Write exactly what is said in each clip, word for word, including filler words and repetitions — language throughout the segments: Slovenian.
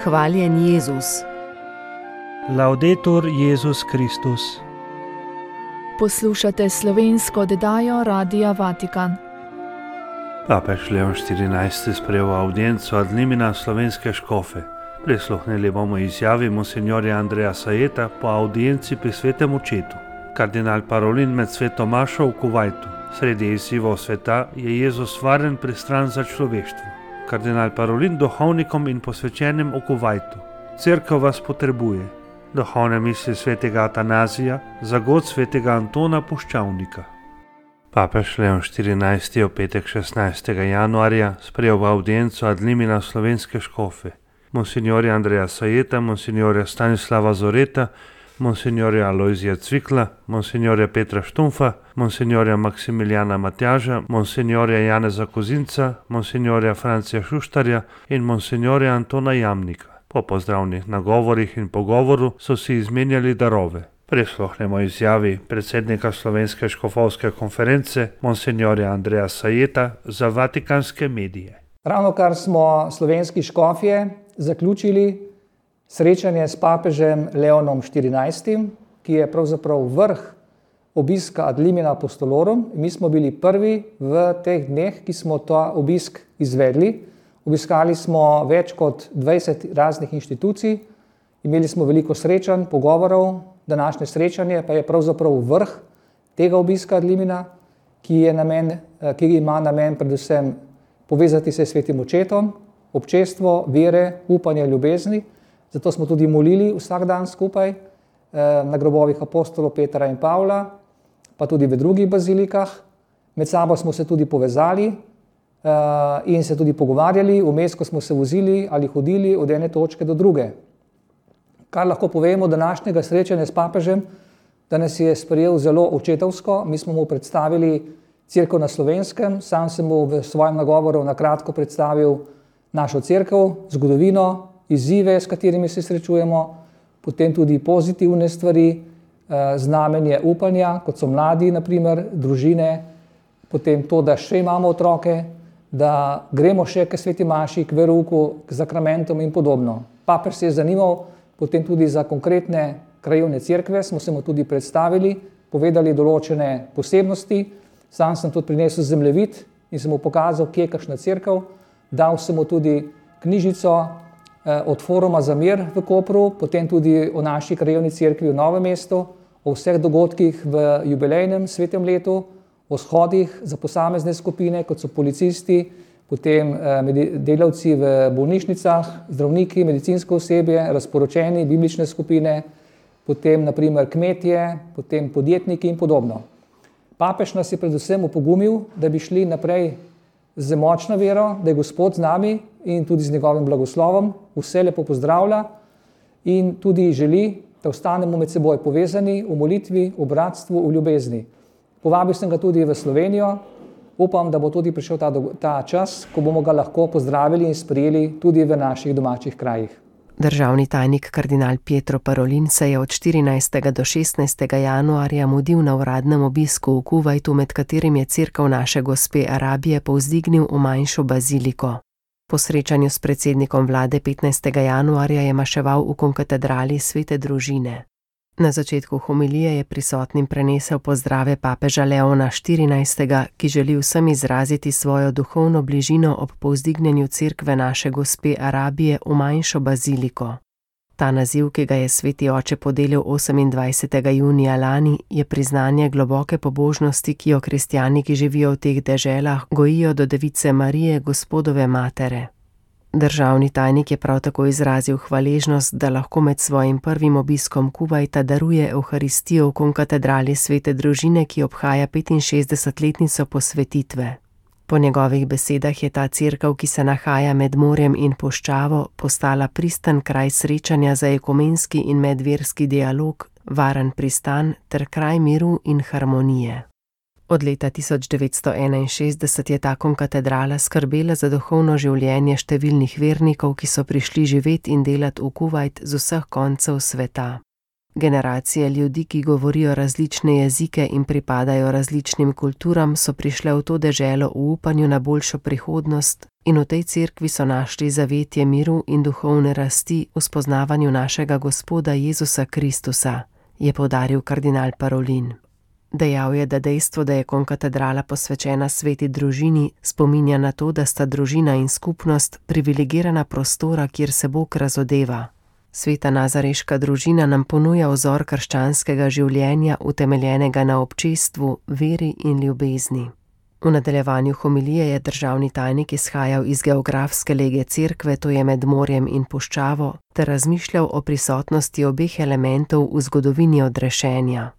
Hvaljen Jezus. Laudetur Jezus Kristus. Poslušate slovensko oddajo Radia Vatikan. Papež Leon štirinajsti sprejel avdienco ad limina slovenske škofe. Prisluhnili bomo izjavi monsinjorja Andreja Sajeta po audienci pri svetem očetu. Kardinal Parolin med sveto mašo v Kuvajtu. Sredi izzivov sveta je Jezus varen pristran za človeštvo. Kardinal Parolin duhovnikom in posvečenim v Kuvajtu. Cerkev vas potrebuje. Duhovne misli svetega Atanazija, za god svetega Antona Puščavnika. Papež Leon štirinajsti je v petek šestnajstega januarja sprejel audienco ad limina slovenske škofe. Monsinjorja Andreja Sajeta, monsinjorja Stanislava Zoreta, monsinjorja Alojzija Cvikla, monsinjorja Petra Štumfa, monsinjorja Maksimiljana Matjaža, monsinjorja Janeza Kozinca, monsinjorja Francija Šuštarja in monsinjorja Antona Jamnika. Po pozdravnih nagovorih in pogovoru so si izmenjali darove. Prisluhnemo izjavi predsednika Slovenske škofovske konference, monsinjorja Andreja Sajeta, za vatikanske medije. Ravnokar smo slovenski škofje zaključili srečanje s papežem Leonom štirinajstim, ki je pravzaprav vrh obiska ad limina apostolorum. Mi smo bili prvi v teh dneh, ki smo ta obisk izvedli. Obiskali smo več kot dvajset raznih inštitucij, imeli smo veliko srečanj, pogovorov. Današnje srečanje pa je pravzaprav vrh tega obiska ad limina, ki, je namen, ki ima namen predvsem povezati se s svetim očetom, občestvo, vere, upanje, ljubezni. Zato smo tudi molili vsak dan skupaj na grobovih apostolov Petra in Pavla, pa tudi v drugih bazilikah. Med sabo smo se tudi povezali in se tudi pogovarjali, vmes, ko smo se vozili ali hodili od ene točke do druge. Kar lahko povemo današnjega srečanja s papežem, da nas je sprejel zelo očetovsko. Mi smo mu predstavili cerkev na Slovenskem, sam sem mu v svojem nagovoru na kratko predstavil našo cerkev, zgodovino, izzive, s katerimi se srečujemo, potem tudi pozitivne stvari, znamenje upanja, kot so mladi, na primer, družine, potem to, da še imamo otroke, da gremo še k sveti maši, k verouku, k zakramentom in podobno. Papež se je zanimal potem tudi za konkretne krajevne cerkve, smo se mu tudi predstavili, povedali določene posebnosti. Sam sem tudi prinesel zemljevid in sem mu pokazal, kje je kakšna cerkev. Dal sem mu tudi knjižico od Foruma za mir v Kopru, potem tudi o naši krajevni cerkvi v Novem mestu, o vseh dogodkih v jubilejnem svetem letu, o shodih za posamezne skupine, kot so policisti, potem delavci v bolnišnicah, zdravniki, medicinsko osebje, razporočeni, biblične skupine, potem naprimer kmetje, potem podjetniki in podobno. Papež nas je predvsem opogumil, da bi šli naprej z močno vero, da je Gospod z nami in tudi z njegovim blagoslovom, vse lepo pozdravlja in tudi želi, da ostanemo med seboj povezani v molitvi, v bratstvu, v ljubezni. Povabil sem ga tudi v Slovenijo, upam, da bo tudi prišel ta, ta čas, ko bomo ga lahko pozdravili in sprejeli tudi v naših domačih krajih. Državni tajnik kardinal Pietro Parolin se je od štirinajstega do šestnajstega januarja mudil na uradnem obisku v Kuvajtu, med katerim je cerkev naše gospe Arabije povzdignil v manjšo baziliko. Po srečanju s predsednikom vlade petnajstega januarja je maševal v konkatedrali Svete družine. Na začetku homilije je prisotnim prenesel pozdrave papeža Leona štirinajstega, ki želi vsem izraziti svojo duhovno bližino ob povzdignjenju cerkve naše gospe Arabije v manjšo baziliko. Ta naziv, ki ga je sveti oče podelil osemindvajsetega junija lani, je priznanje globoke pobožnosti, ki jo kristjani, ki živijo v teh deželah, gojijo do device Marije, Gospodove matere. Državni tajnik je prav tako izrazil hvaležnost, da lahko med svojim prvim obiskom Kuvajta daruje Evharistijo v konkatedrali Svete družine, ki obhaja petinšestdesetletnico posvetitve. Po njegovih besedah je ta cerkev, ki se nahaja med morjem in puščavo, postala pristan kraj srečanja za ekumenski in medverski dialog, varen pristan ter kraj miru in harmonije. Od leta tisoč devetsto enainšestdeset je ta konkatedrala skrbela za duhovno življenje številnih vernikov, ki so prišli živeti in delati v Kuvajt z vseh koncev sveta. Generacije ljudi, ki govorijo različne jezike in pripadajo različnim kulturam, so prišle v to deželo v upanju na boljšo prihodnost in v tej cerkvi so našli zavetje miru in duhovne rasti v spoznavanju našega Gospoda Jezusa Kristusa, je poudaril kardinal Parolin. Dejal je, da dejstvo, da je konkatedrala posvečena sveti družini, spominja na to, da sta družina in skupnost privilegirana prostora, kjer se Bog razodeva. Sveta nazareška družina nam ponuja vzor krščanskega življenja, utemeljenega na občestvu, veri in ljubezni. V nadaljevanju homilije je državni tajnik izhajal iz geografske lege cerkve, to je med morjem in puščavo, ter razmišljal o prisotnosti obeh elementov v zgodovini odrešenja.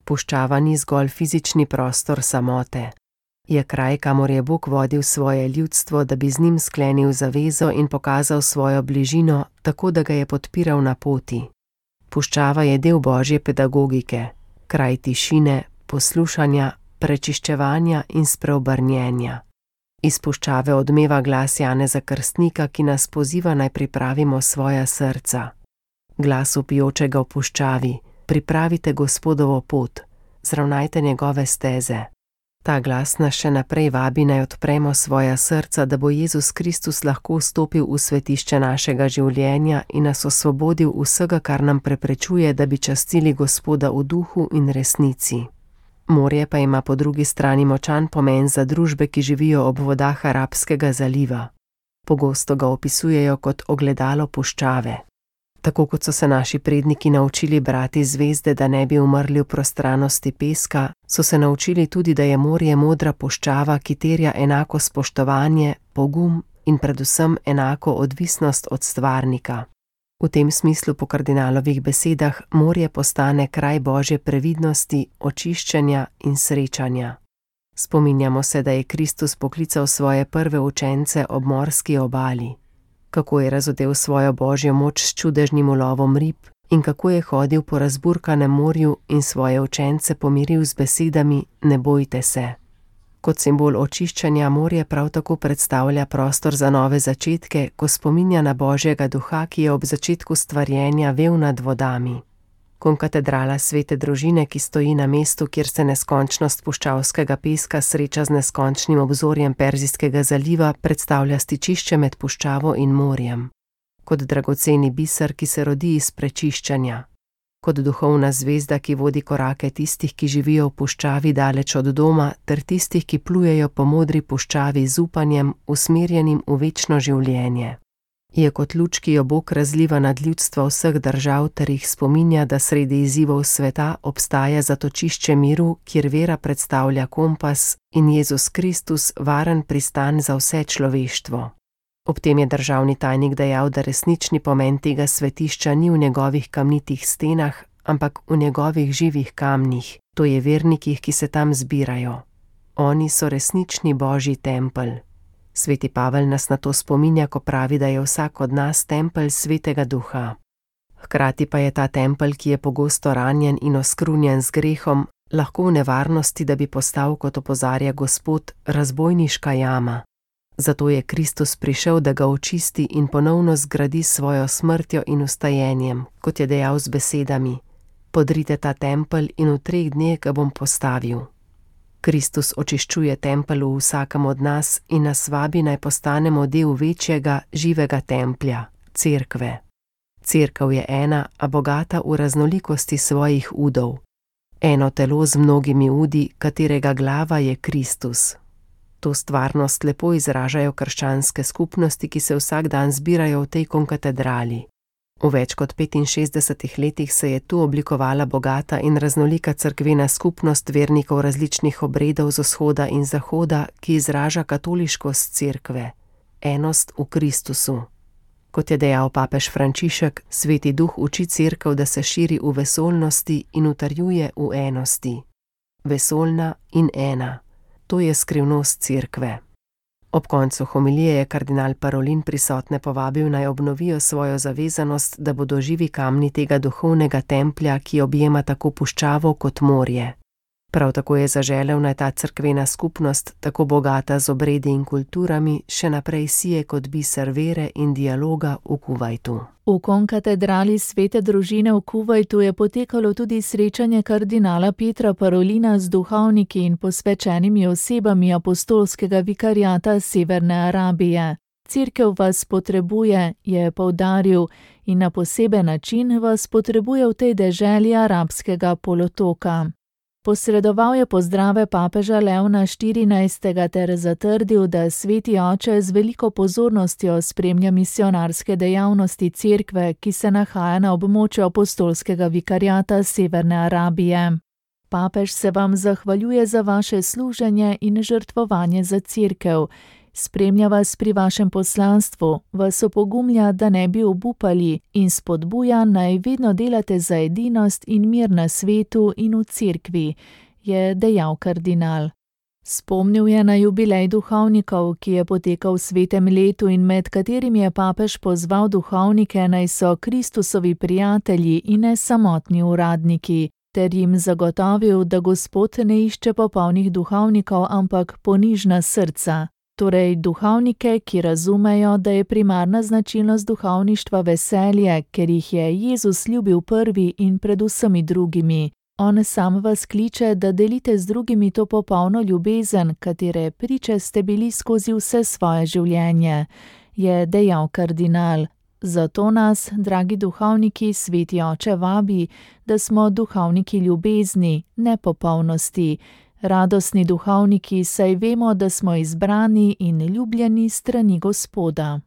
Puščava ni zgolj fizični prostor samote. Je kraj, kamor je Bog vodil svoje ljudstvo, da bi z njim sklenil zavezo in pokazal svojo bližino, tako da ga je podpiral na poti. Puščava je del božje pedagogike, kraj tišine, poslušanja, prečiščevanja in spreobrnjenja. Iz puščave odmeva glas Janeza Krstnika, ki nas poziva naj pripravimo svoja srca. Glas vpijočega v puščavi: pripravite Gospodovo pot, zravnajte njegove steze. Ta glas nas še naprej vabi naj odpremo svoja srca, da bo Jezus Kristus lahko vstopil v svetišče našega življenja in nas osvobodil vsega, kar nam preprečuje, da bi častili Gospoda v duhu in resnici. Morje pa ima po drugi strani močan pomen za družbe, ki živijo ob vodah Arabskega zaliva. Pogosto ga opisujejo kot ogledalo puščave. Tako kot so se naši predniki naučili brati zvezde, da ne bi umrli v prostranosti peska, so se naučili tudi, da je morje modra puščava, ki terja enako spoštovanje, pogum in predvsem enako odvisnost od stvarnika. V tem smislu po kardinalovih besedah morje postane kraj božje previdnosti, očiščenja in srečanja. Spominjamo se, da je Kristus poklical svoje prve učence ob morski obali. Kako je razodel svojo božjo moč s čudežnim ulovom rib in kako je hodil po razburkanem morju in svoje učence pomiril z besedami: ne bojte se. Kot simbol očiščenja morje prav tako predstavlja prostor za nove začetke, ko spominja na Božjega duha, ki je ob začetku stvarjenja vel nad vodami. Konkatedrala svete družine, ki stoji na mestu, kjer se neskončnost puščavskega peska sreča z neskončnim obzorjem Perzijskega zaliva, predstavlja stičišče med puščavo in morjem. Kot dragoceni biser, ki se rodi iz prečiščanja. Kot duhovna zvezda, ki vodi korake tistih, ki živijo v puščavi daleč od doma, ter tistih, ki plujejo po modri puščavi z upanjem, usmerjenim v večno življenje. Je kot luč, ki jo Bog razliva nad ljudstva vseh držav ter jih spominja, da sredi izzivov sveta obstaja zatočišče miru, kjer vera predstavlja kompas in Jezus Kristus varen pristan za vse človeštvo. Ob tem je državni tajnik dejal, da resnični pomen tega svetišča ni v njegovih kamnitih stenah, ampak v njegovih živih kamnih, to je vernikih, ki se tam zbirajo. Oni so resnični božji tempelj. Sveti Pavel nas na to spominja, ko pravi, da je vsak od nas tempelj svetega duha. Hkrati pa je ta tempelj, ki je pogosto ranjen in oskrunjen z grehom, lahko v nevarnosti, da bi postal, kot opozarja Gospod, razbojniška jama. Zato je Kristus prišel, da ga očisti in ponovno zgradi svojo smrtjo in vstajenjem, kot je dejal z besedami: podrite ta tempelj in v treh dneh ga bom postavil. Kristus očiščuje tempelj v vsakem od nas in nas vabi naj postanemo del večjega, živega templja, cerkve. Cerkev je ena, a bogata v raznolikosti svojih udov. Eno telo z mnogimi udi, katerega glava je Kristus. To stvarnost lepo izražajo krščanske skupnosti, ki se vsak dan zbirajo v tej konkatedrali. V več kot petinšestdesetih letih se je tu oblikovala bogata in raznolika cerkvena skupnost vernikov različnih obredov z vzhoda in zahoda, ki izraža katoliškost cerkve, enost v Kristusu. Kot je dejal papež Frančišek, Sveti Duh uči cerkev, da se širi v vesoljnosti in utrjuje v enosti. Vesoljna in ena. To je skrivnost cerkve. Ob koncu homilije je kardinal Parolin prisotne povabil naj obnovijo svojo zavezanost, da bodo živi kamni tega duhovnega templja, ki objema tako puščavo kot morje. Prav tako je zaželel, naj ta cerkvena skupnost, tako bogata z obredi in kulturami, še naprej sije kot biser vere in dialoga v Kuvajtu. V konkatedrali Svete družine v Kuvajtu je potekalo tudi srečanje kardinala Pietra Parolina z duhovniki in posvečenimi osebami apostolskega vikariata Severne Arabije. Cerkev vas potrebuje, je poudaril, in na poseben način vas potrebuje v tej deželi arabskega polotoka. Posredoval je pozdrave papeža Leona štirinajstega ter zatrdil, da Sveti oče z veliko pozornostjo spremlja misionarske dejavnosti cerkve, ki se nahaja na območju apostolskega vikariata Severne Arabije. Papež se vam zahvaljuje za vaše služenje in žrtvovanje za cerkev. Spremlja vas pri vašem poslanstvu, vas opogumlja, da ne bi obupali, in spodbuja, naj vedno delate za edinost in mir na svetu in v cerkvi, je dejal kardinal. Spomnil je na jubilej duhovnikov, ki je potekal v svetem letu in med katerim je papež pozval duhovnike, naj so Kristusovi prijatelji in ne samotni uradniki, ter jim zagotovil, da Gospod ne išče popolnih duhovnikov, ampak ponižna srca. Torej duhovnike, ki razumejo, da je primarna značilnost duhovništva veselje, ker jih je Jezus ljubil prvi in pred vsemi drugimi. On sam vas kliče, da delite z drugimi to popolno ljubezen, katere priče ste bili skozi vse svoje življenje, je dejal kardinal. Zato nas, dragi duhovniki, Sveti oče vabi, da smo duhovniki ljubezni, ne popolnosti, radostni duhovniki, saj vemo, da smo izbrani in ljubljeni strani Gospoda.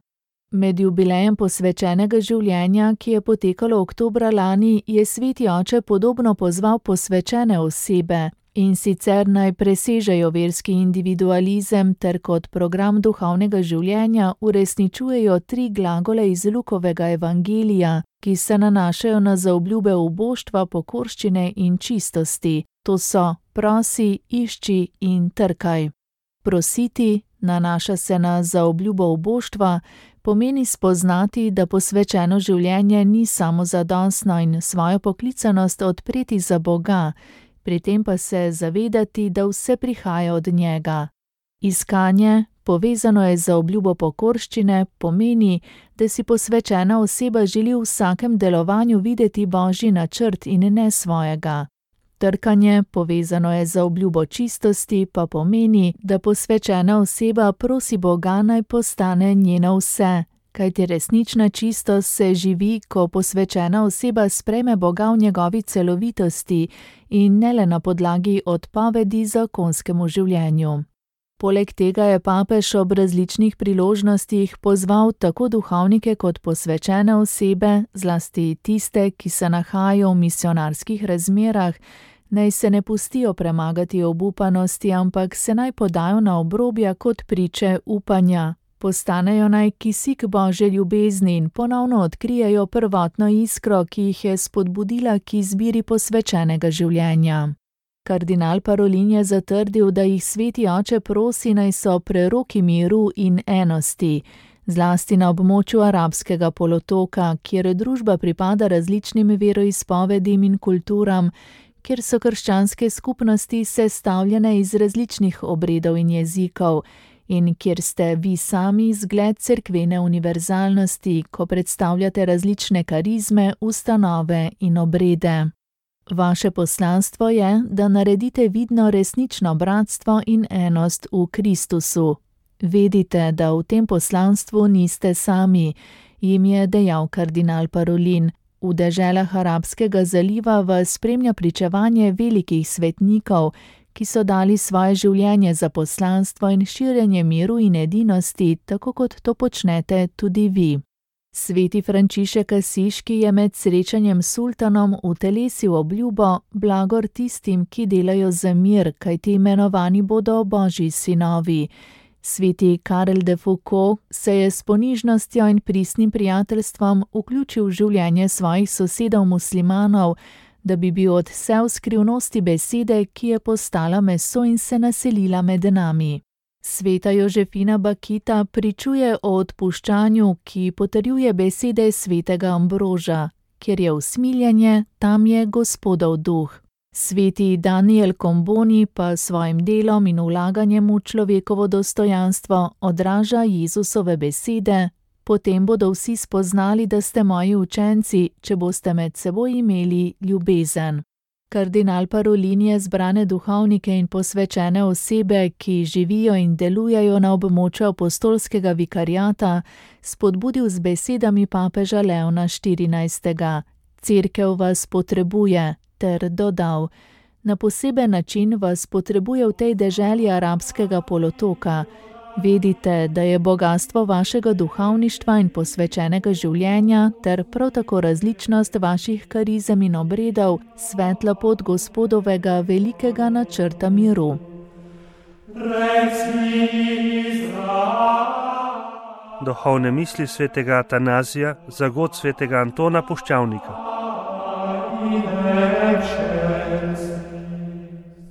Med jubilejem posvečenega življenja, ki je potekalo oktobra lani, je Sveti oče podobno pozval posvečene osebe, in sicer naj presežejo verski individualizem ter kot program duhovnega življenja uresničujejo tri glagole iz Lukovega evangelija, ki se nanašajo na zaobljube uboštva, pokorščine in čistosti. To so prosi, išči in trkaj. Prositi, nanaša se na zaobljubo uboštva, pomeni spoznati, da posvečeno življenje ni samozadostno in svojo poklicanost odpreti za Boga, pri tem pa se zavedati, da vse prihaja od njega. Iskanje, povezano je z zaobljubo pokorščine, pomeni, da si posvečena oseba želi v vsakem delovanju videti Božji načrt in ne svojega. Trkanje, povezano je z zaobljubo čistosti, pa pomeni, da posvečena oseba prosi Boga, naj postane njeno vse, kajti resnična čistost se živi, ko posvečena oseba sprejme Boga v njegovi celovitosti in ne le na podlagi odpovedi zakonskemu življenju. Poleg tega je papež ob različnih priložnostih pozval tako duhovnike kot posvečene osebe, zlasti tiste, ki se nahajajo v misionarskih razmerah, naj se ne pustijo premagati obupanosti, ampak se naj podajo na obrobja kot priče upanja. Postanejo naj kisik Božje ljubezni in ponovno odkrijejo prvotno iskro, ki jih je spodbudila k izbiri posvečenega življenja. Kardinal Parolin je zatrdil, da jih Sveti oče prosi, naj so preroki miru in enosti, zlasti na območju arabskega polotoka, kjer družba pripada različnim veroizpovedim in kulturam, kjer so krščanske skupnosti sestavljene iz različnih obredov in jezikov in kjer ste vi sami zgled cerkvene univerzalnosti, ko predstavljate različne karizme, ustanove in obrede. Vaše poslanstvo je, da naredite vidno resnično bratstvo in enost v Kristusu. Vedite, da v tem poslanstvu niste sami, jim je dejal kardinal Parolin. V deželah Arabskega zaliva vas spremlja pričevanje velikih svetnikov, ki so dali svoje življenje za poslanstvo in širjenje miru in edinosti, tako kot to počnete tudi vi. Sveti Frančišek Asiški je med srečanjem s sultanom utelesil obljubo blagor tistim, ki delajo za mir, kajti imenovani bodo Božji sinovi. Sveti Karel de Foucault se je s ponižnostjo in pristnim prijateljstvom vključil v življenje svojih sosedov muslimanov, da bi bil odsev skrivnosti besede, ki je postala meso in se naselila med nami. Sveta Jožefina Bakita pričuje o odpuščanju, ki potrjuje besede svetega Ambroža, kjer je usmiljenje, tam je Gospodov duh. Sveti Daniel Comboni pa svojim delom in vlaganjem v človekovo dostojanstvo odraža Jezusove besede: potem bodo vsi spoznali, da ste moji učenci, če boste med seboj imeli ljubezen. Kardinal Parolin je zbrane duhovnike in posvečene osebe, ki živijo in delujejo na območju apostolskega vikariata, spodbudil z besedami papeža Leona štirinajstega. Cerkev vas potrebuje, ter dodal: na poseben način vas potrebuje v tej deželi arabskega polotoka. Vedite, da je bogastvo vašega duhovništva in posvečenega življenja ter prav tako različnost vaših karizem in obredov svetla pot Gospodovega velikega načrta miru. Duhovne misli svetega Atanazija za god svetega Antona Puščavnika.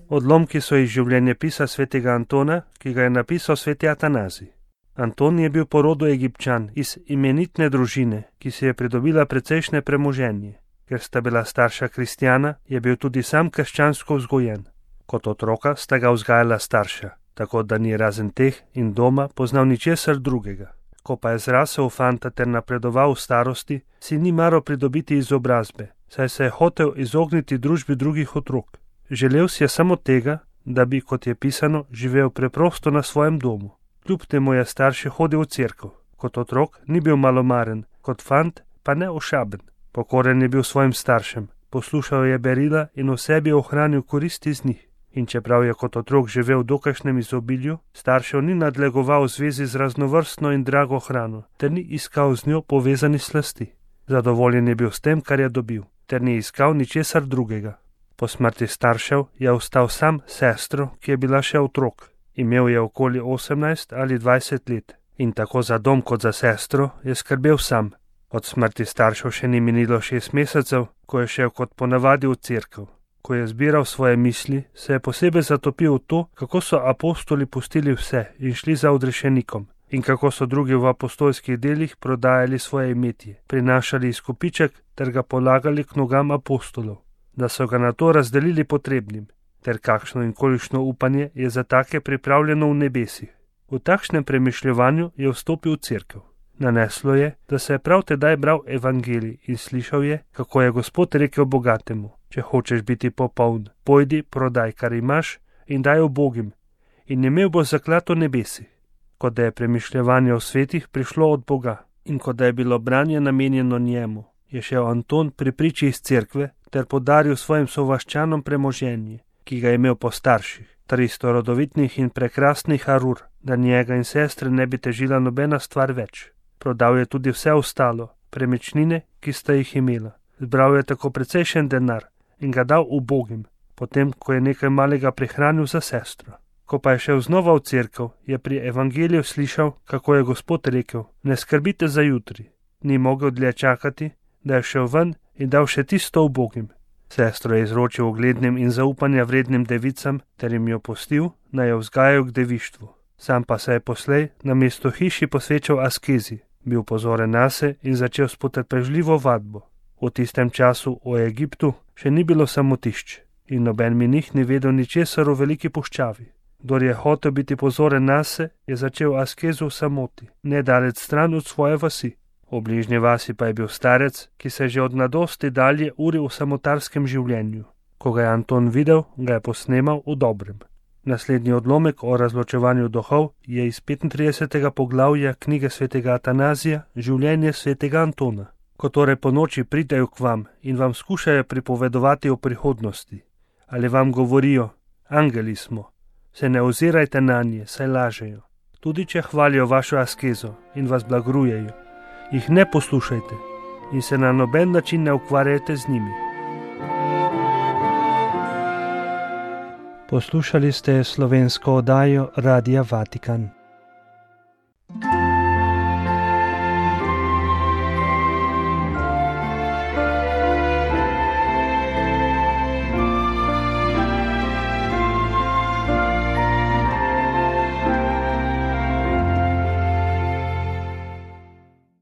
Odlomki so iz življenjepisa svetega Antona, ki ga je napisal sveti Atanazij. Anton je bil po rodu Egipčan iz imenitne družine, ki si je pridobila precejšnje premoženje. Ker sta bila starša kristjana, je bil tudi sam krščansko vzgojen. Kot otroka sta ga vzgajala starša, tako da ni razen teh in doma poznal ničesar drugega. Ko pa je zrasel v fanta ter napredoval v starosti, si ni maral pridobiti izobrazbe, saj se je hotel izogniti družbi drugih otrok. Želel si je samo tega, da bi, kot je pisano, živel preprosto na svojem domu. Kljub temu je starši hodil v cerkev. Kot otrok ni bil malomaren, kot fant pa ne ošaben. Pokoren je bil svojim staršem, poslušal je berila in v sebi ohranil koristi iz njih. In čeprav je kot otrok živel v dokajšnjem izobilju, staršev ni nadlegoval v zvezi z raznovrstno in drago hrano, ter ni iskal z njo povezani slasti. Zadovoljen je bil s tem, kar je dobil, ter ni iskal ničesar drugega. Po smrti staršev je ostal sam sestro, ki je bila še otrok. Imel je okoli osemnajst ali dvajset let in tako za dom kot za sestro je skrbel sam. Od smrti staršev še ni minilo šest mesecev, ko je šel kot ponavadi v cerkev. Ko je zbiral svoje misli, se je posebej zatopil v to, kako so apostoli pustili vse in šli za odrešenikom in kako so drugi v apostolskih delih prodajali svoje imetje, prinašali izkupiček ter ga polagali k nogam apostolov, da so ga na to razdelili potrebnim, ter kakšno in kolikšno upanje je za take pripravljeno v nebesih. V takšnem premišljevanju je vstopil v cerkev. Naneslo je, da se je prav tedaj bral evangelij in slišal je, kako je Gospod rekel bogatemu: če hočeš biti popoln, pojdi, prodaj, kar imaš, in daj ubogim, in imel boš zaklad v nebesih. Kot da je premišljevanje o svetih prišlo od Boga in kot da je bilo branje namenjeno njemu, je šel Anton pri priči iz cerkve ter podaril svojim sovaščanom premoženje, ki ga je imel po starših, tristo rodovitnih in prekrasnih arur, da njega in sestre ne bi težila nobena stvar več. Prodal je tudi vse ostalo, premičnine, ki sta jih imela. Zbral je tako precejšen denar in ga dal ubogim, potem ko je nekaj malega prihranil za sestro. Ko pa je šel znova v cerkev, je pri evangeliju slišal, kako je Gospod rekel: ne skrbite za jutri. Ni mogel dlje čakati, da je šel ven in dal še tisto ubogim. Sestro je izročil uglednim in zaupanja vrednim devicam ter jim jo pustil, naj jo vzgajajo k devištvu. Sam pa se je poslej na mesto hiši posvečal askezi, bil pozoren nase in začel s potrpežljivo vadbo. V tistem času v Egiptu še ni bilo samotišč in noben menih ni vedel ničesar o veliki puščavi. Kdor je hotel biti pozoren nase, je začel askezo v samoti, nedaleč stran od svoje vasi. V bližnji vasi pa je bil starec, ki se že od mladosti dalje uril v samotarskem življenju. Ko ga je Anton videl, ga je posnemal v dobrem. Naslednji odlomek o razločevanju duhov je iz petintridesetega poglavja knjige svetega Atanazija Življenje svetega Antona. Ko torej po noči pridejo k vam in vam skušajo pripovedovati o prihodnosti, ali vam govorijo: angeli smo, se ne ozirajte nanje, saj lažejo. Tudi če hvalijo vašo askezo in vas blagrujejo, jih ne poslušajte in se na noben način ne ukvarjajte z njimi. Poslušali ste slovensko oddajo Radia Vatikan.